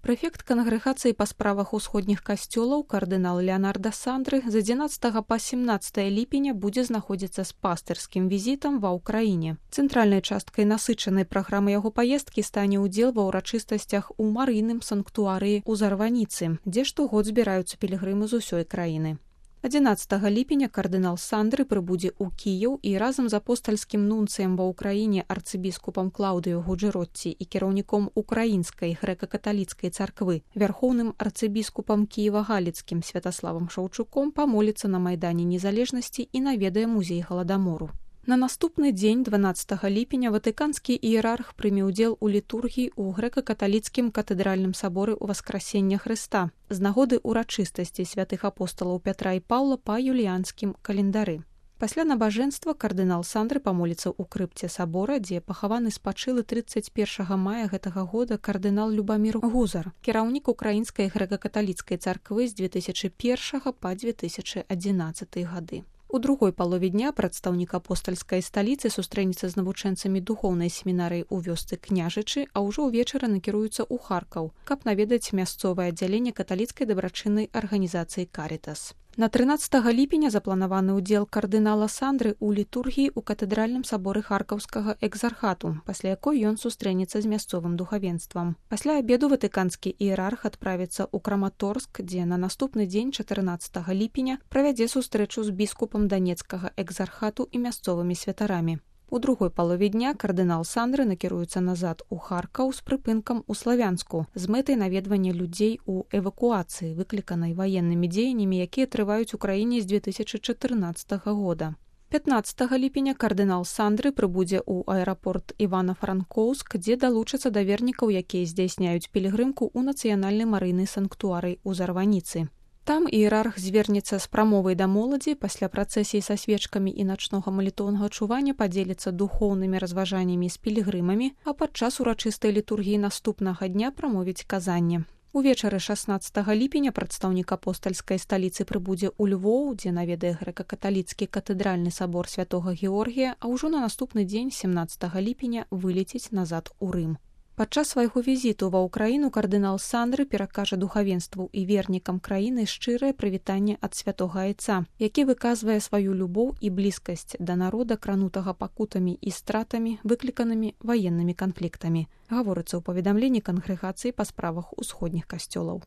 Прэфект кангрэгацыі па справах усходніх касцёлаў кардынал Леонардо Сандры з 11 па 17 ліпеня будзе знаходзіцца з пастырскім візітам ва ўкраіне. Цэнтральнай часткай насычанай праграмы яго паездкі стане ўдзел ва ўрачыстасцях у марыйным санктуарыі ў Зарваніцы, дзе штогод збіраюцца пілігрымы з усёй краіны. 11 ліпеня кардынал Сандры прыбудзе ў Кіеў і разам з апостальскім нунцыем ва ўкраіне арцыбіскупам Клаўдыё Гуджэротці і кіраўніком украінскай грэка-каталіцкай царквы вярхоўным арцыбіскупам кіева-галіцкім Святаславам Шаўчуком памоліцца на майдане незалежнасці і наведае музей Галадамору. На наступны дзень, 12 ліпеня, ватыканскі іерарх прыме ўдзел у літургіі ў грэка-каталіцкім катэдральным саборы ў Васкрасення Хрыста з нагоды ўрачыстасці святых апосталаў Пятра і Паўла па юліянскім календары. Пасля набажэнства кардынал Сандры памоліцца ў крыпце сабора, дзе пахаваны спачылы 31 мая гэтага года кардынал Любамір Гузар, кіраўнік украінскай грэка-каталіцкай царквы з 2001 па 2011 гады. У другой палове дня прадстаўнік апостальскай сталіцы сустрэнецца з навучэнцамі духоўнай семінарыі ў вёсцы Княжычы, а ўжо ўвечары накіруецца ў Харкаў, каб наведаць мясцовае аддзяленне каталіцкай дабрачыннай арганізацыі «Карітас». На 13 ліпеня запланаваны ўдзел кардынала Сандры ў літургіі ў катэдральным саборы Харкаўскага экзархату, пасля якой ён сустрэнецца з мясцовым духавенствам. Пасля абеду ватыканскі іерарх адправіцца ў Краматорск, дзе на наступны дзень 14 ліпеня правядзе сустрэчу з біскупам данецкага экзархату і мясцовымі святарамі. У другой палове дня кардынал Сандры накіруецца назад у Харкаў з прыпынкам у Славянску з мэтай наведвання людзей у эвакуацыі, выкліканай ваеннымі дзеяннямі, якія трываюць у краіне з 2014 года. 15 ліпеня кардынал Сандры прыбудзе ў аэрапорт Івана-Франкоўск, дзе далучацца да вернікаў, якія здзяйсняюць пілігрымку ў нацыянальны марыйны санктуарый у Зарваніцы. Там іерарх звернецца з прамовай да моладзі, пасля працэсіі са свечкамі і начнога малітоўнага чування падзеліцца духоўнымі разважаннямі з пілігрымамі, а падчас урачыстай літургіі наступнага дня прамовіць казанне. Увечары 16 ліпеня прадстаўнік апостальскай сталіцы прыбудзе ў Львоў, дзе наведае грэка-каталіцкі катэдральны сабор святога Георгія, а ўжо на наступны дзень, 17 ліпеня, вылеціць назад у Рым. Падчас свайго візіту ва ўкраіну кардынал Сандры перакажа духавенству і вернікам краіны шчырае прывітанне ад святога айца, які выказвае сваю любоў і блізкасць да народа, кранутага пакутамі і стратамі, выкліканымі ваеннымі канфліктамі, гаворыцца ў паведамленні кангрэгацыі па справах усходніх касцёлаў.